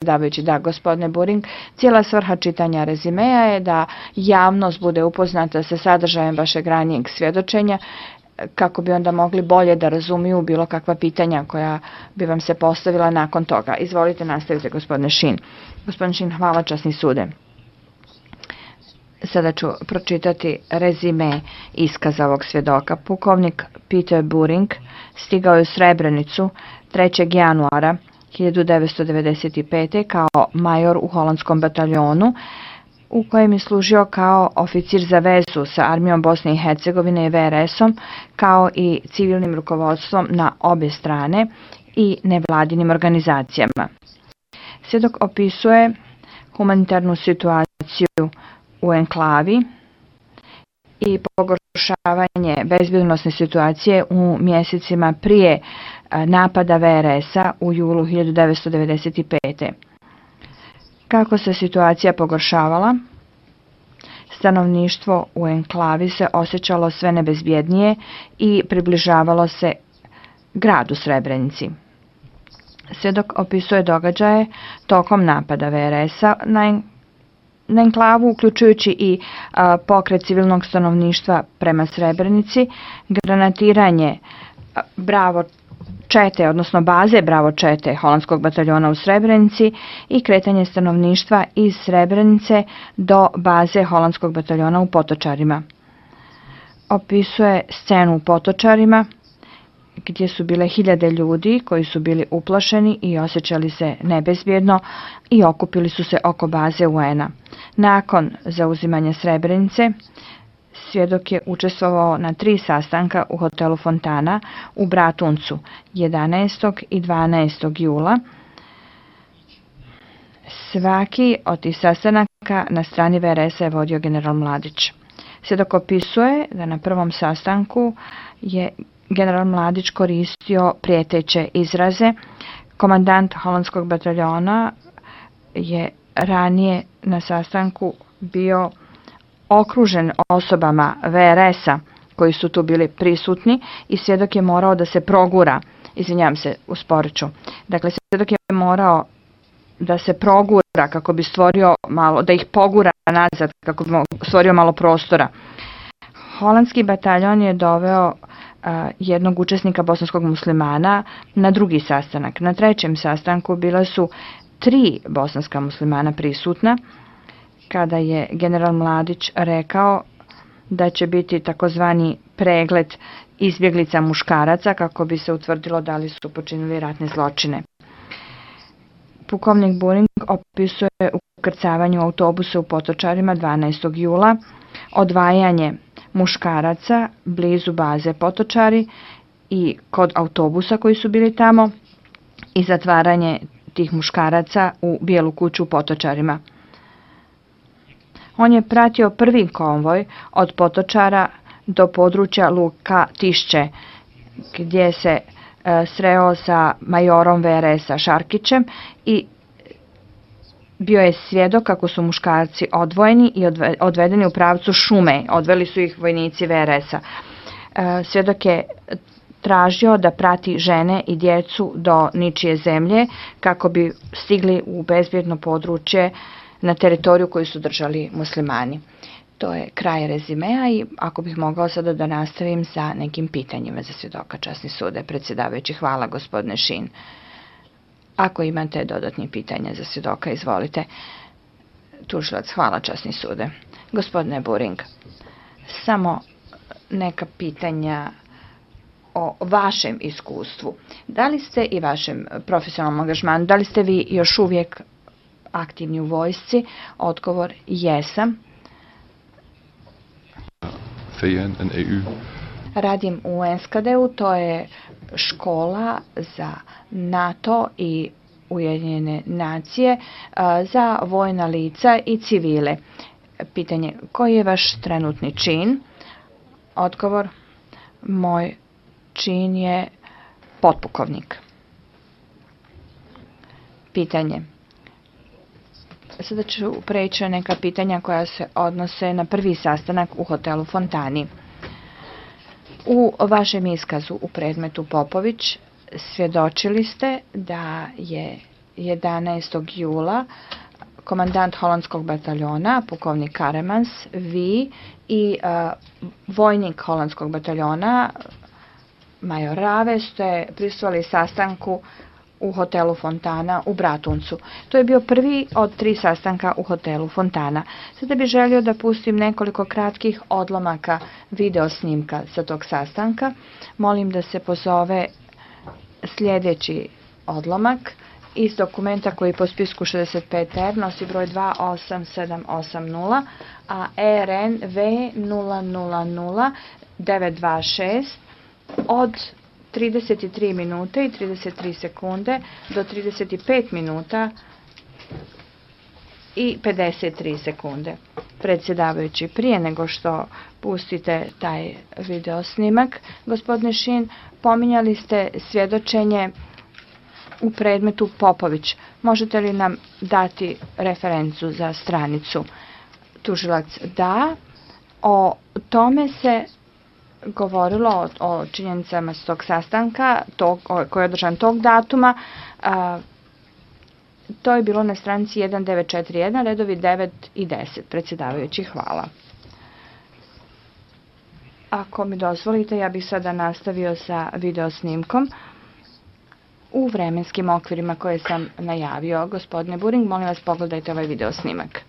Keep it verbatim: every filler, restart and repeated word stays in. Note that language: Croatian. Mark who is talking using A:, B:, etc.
A: predsjedavajući. Da, gospodine Buring, cijela svrha čitanja rezimea je da javnost bude upoznata sa sadržajem vašeg ranijeg svjedočenja, kako bi onda mogli bolje da razumiju bilo kakva pitanja koja bi vam se postavila nakon toga. Izvolite, nastavite, gospodine Šin. Gospodine Šin, hvala, časni sude. Sada ću pročitati rezime iskaza ovog svjedoka. Pukovnik Peter Buring stigao je u Srebrenicu trećeg januara hiljadu devetsto devedeset pete. kao major u holandskom bataljonu, u kojem je služio kao oficir za vezu sa armijom Bosne i Hercegovine i V R S-om, kao i civilnim rukovodstvom na obje strane i nevladinim organizacijama. Svjedok opisuje humanitarnu situaciju u enklavi i pogoršavanje bezbjednosne situacije u mjesecima prije napada V R S-a u julu hiljadu devetsto devedeset pete. Kako se situacija pogoršavala, stanovništvo u enklavi se osjećalo sve nebezbjednije i približavalo se gradu Srebrenici. Svjedok opisuje događaje tokom napada V R S-a na na enklavu, uključujući i a, pokret civilnog stanovništva prema Srebrenici, granatiranje a, Bravo čete, odnosno baze Bravo čete holandskog bataljona u Srebrenici i kretanje stanovništva iz Srebrenice do baze holandskog bataljona u Potočarima. Opisuje scenu u Potočarima, gdje su bile hiljade ljudi koji su bili uplašeni i osjećali se nebezbjedno i okupili su se oko baze U N-a. Nakon zauzimanja Srebrenice, svjedok je učestvovao na tri sastanka u hotelu Fontana u Bratuncu jedanaestog i dvanaestog jula. Svaki od tih sastanaka na strani V R S-a je vodio general Mladić. Svjedok opisuje da na prvom sastanku je general Mladić koristio prijeteće izraze. Komandant holandskog bataljona je ranije na sastanku bio okružen osobama V R S-a koji su tu bili prisutni i svjedok je morao da se progura. Izvinjavam se, usporit ću. Dakle, svjedok je morao da se progura kako bi stvorio malo, da ih pogura nazad kako bi stvorio malo prostora. Holandski bataljon je doveo jednog učesnika bosanskog muslimana na drugi sastanak. Na trećem sastanku bila su tri bosanska muslimana prisutna, kada je general Mladić rekao da će biti takozvani pregled izbjeglica muškaraca kako bi se utvrdilo da li su počinili ratne zločine. Pukovnik Buring opisuje ukrcavanje u autobuse u Potočarima dvanaestog jula, odvajanje muškaraca blizu baze Potočari i kod autobusa koji su bili tamo i zatvaranje tih muškaraca u Bijelu kuću u Potočarima. On je pratio prvi konvoj od Potočara do područja Luka Tišće, gdje se e, sreo sa majorom V R S-a Šarkićem i bio je svjedok kako su muškarci odvojeni i odvedeni u pravcu šume. Odveli su ih vojnici V R S-a. E, svjedok je tražio da prati žene i djecu do ničije zemlje kako bi stigli u bezbjedno područje na teritoriju koju su držali muslimani. To je kraj rezimea i ako bih mogao sada da nastavim sa nekim pitanjima za svjedoka, časni sude, predsjedavajući. Hvala, gospodine Šin. Ako imate dodatni pitanja za svjedoka, izvolite. Tužilac, hvala, časni sude. Gospodine Buring, samo neka pitanja o vašem iskustvu. Da li ste i vašem profesionalnom angažmanu, da li ste vi još uvijek aktivni u vojsci? Odgovor, jesam.
B: V N en E U.
A: Radim u N S K D-u, to je škola za NATO i Ujedinjene nacije za vojna lica i civile. Pitanje, koji je vaš trenutni čin? Odgovor, moj čin je potpukovnik. Pitanje. Sada ću preći na neka pitanja koja se odnose na prvi sastanak u hotelu Fontani. U vašem iskazu u predmetu Popović svjedočili ste da je jedanaestog jula komandant holandskog bataljona, pukovnik Karemans, vi i uh, vojnik holandskog bataljona, major Rave, ste prisustvovali sastanku u hotelu Fontana u Bratuncu. To je bio prvi od tri sastanka u hotelu Fontana. Sada bih želio da pustim nekoliko kratkih odlomaka video snimka sa tog sastanka. Molim da se pozove sljedeći odlomak iz dokumenta koji po spisku šezdeset pet R nosi broj dva osam sedam osam nula, a E R N V nula nula nula devet dva šest od trideset tri minute i trideset tri sekunde do trideset pet minuta i pedeset tri sekunde. Predsjedavajući, prije nego što pustite taj video snimak, gospodine Šin, pominjali ste svjedočenje u predmetu Popović. Možete li nam dati referencu za stranicu? Tužilac, da. O tome se govorilo, o, o činjenicama s tog sastanka, tog, koji je održan tog datuma. A, to je bilo na stranici jedan devet četiri jedan, redovi devet i deset. Predsjedavajući, hvala. Ako mi dozvolite, ja bih sada nastavio sa video snimkom u vremenskim okvirima koje sam najavio. Gospodine Buring, molim vas, pogledajte ovaj video snimak.